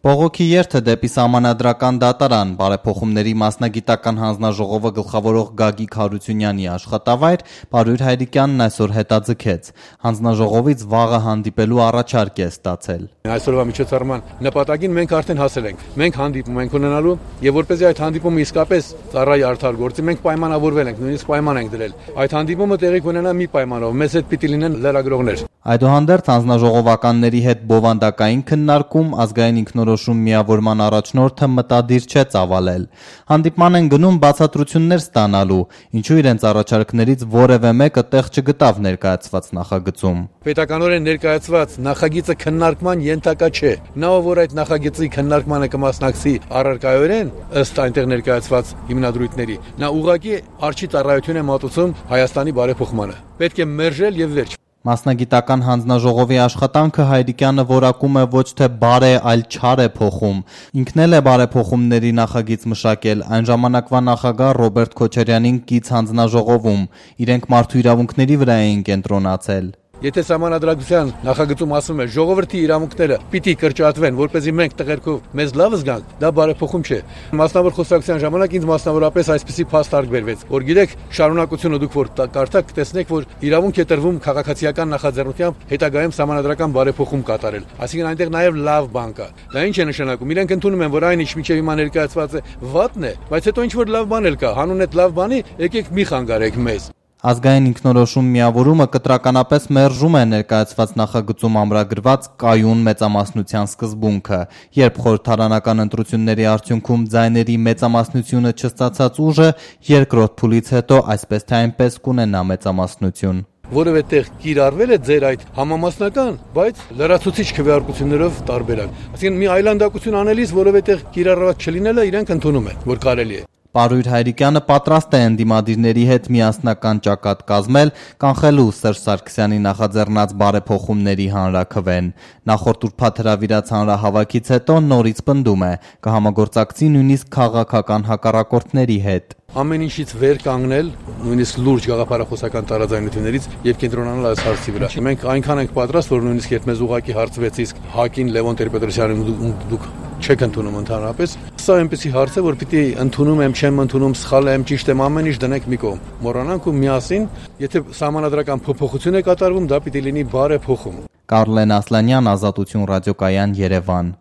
Բողոքի երթը դեպի սահմանադրական դատարան բարեփոխումների մասնագիտական հանձնաժողովը գլխավորող Գագիկ Հարությունյանի աշխատավայր Պարույր Հայրիկյանն այսօր հետաձգեց։ Հանձնաժողովից վաղը հանդիպելու առաջարկ է ստացել։ Այսօրվա միջոցառման նպատակին մենք արդեն հասել ենք։ Մենք հանդիպում ենք ունենալու եւ որպեսզի այդ հանդիպումը իսկապես ծառայի արդար գործի, մենք պայմանավորվել ենք, նույնիսկ պայման ենք դրել։ Այդ հանդիպումը տեղի կունենա մի պայմանով, մեզ հետ պիտի լինեն լրագրողներ։ Այդուհանդերձ հանձնաժողովականների հետ բովանդակային քննարկում ազգային ինքնորոշում միավորման առաջնորդը մտադիր չէ ծավալել։ Հանդիպման են գնում բացատրություններ ստանալու, ինչու իրենց առաջարկներից որևէ մեկը տեղ չգտավ ներկայացված նախագծում։ Պետականորեն ներկայացված նախագիծը քննարկման ենթակա չէ։ Նա որ այդ նախագծի քննարկմանը կմասնակցի առարկայորեն ըստ այնտեղ ներկայացված հիմնադրույթների, նա ուղղակի արժի ծառայություն է մատուցում Հայաստանի բարեփոխմանը։ Պետք է մերժել եւ վերջ։ Մասնագիտական հանձնաժողովի աշխատանքը Հայրիկյանը որակում է ոչ թե բարե, այլ չար է փոխում։ Ինքն էլ է բարեփոխումների նախագիծ մշակել այն ժամանակվա նախագահ Ռոբերտ Քոչարյանին կից հանձնաժողովում։ Իրենք մարդու իրավունքների վրա էին կենտրոնացել։ Եթե սահմանադրական նախագծում ասում է ժողովրդի իրավունքները պիտի կրճատվեն, որպեսզի մենք տղերքով մեզ լավ զգանք, դա բարեփոխում չէ։ Մասնավոր խոսակցության ժամանակ ինձ մասնավորապես այսպիսի փաստ բերվեց, որ գիտեք, շարունակությունը դուք որ կարդաք, կտեսնեք, որ իրավունք է տրվում քաղաքացիական նախաձեռնությամբ հետագայում սահմանադրական բարեփոխում կատարել։ Այսինքն այնտեղ նաև լավ բան կա։ Դա ինչ է նշանակում։ Իրենք ընդունում են, որ այն ինչ միջև հիմա ներկայացված է վատն է, բայց հետո ինչ որ լավ բան էլ կա։ Հանուն այդ լավ բանի եկեք մի խանգարեք մեզ։ Ազգային ինքնորոշում միավորումը կտրականապես մերժում է ներկայացված նախագծում ամրագրված կայուն մեծամասնության սկզբունքը, երբ խորհրդարանական ընտրությունների արդյունքում ձայների մեծամասնությունը չստացած ուժը երկրորդ փուլից հետո այսպես թե այնպես կունենա մեծամասնություն։ Որևէ տեղ կիրառվել է ձեր այդ համամասնական, բայց լրացուցիչ քվեարկություններով տարբերակ։ Այսինքն մի այլանդակություն անելիս որևէ տեղ կիրառված չլինելը իրենք ընդունում են, որ կարելի է։ Պարույր Հայրիկյանը պատրաստ է ընդդիմադիրների հետ միասնական ճակատ կազմել, կանխելու Սերժ Սարգսյանի նախաձեռնած բարեփոխումների հանրաքվեն։ Նախորդ ուրբաթ հրավիրած հանրահավաքից հետո նորից պնդում է, կհամագործակցի նույնիսկ քաղաքական հակառակորդների հետ։ Ամեն ինչից վեր կանգնել, նույնիսկ լուրջ գաղափարախոսական տարաձայնություններից եւ կենտրոնանալ այս հարցի վրա։ Մենք այնքան ենք պատրաստ, որ նույնիսկ երբ մեզ ուղակի հարցվեց իսկ Հակին Լևոն Տեր-Պետրոսյանին դուք չեք ընդունում ընդհանրապես, սա այնպեսի հարց է, որ պիտի ընդունում եմ, չեմ ընդունում, սխալ եմ, ճիշտ եմ, ամեն ինչ դնենք մի կողմ։ Մոռանանք ու միասին, եթե սահմանադրական փոփոխություն է կատարվում, դա պիտի լինի բարեփոխում։ Կարլեն Ասլանյան, Ազատություն ռադիոկայան, Երևան։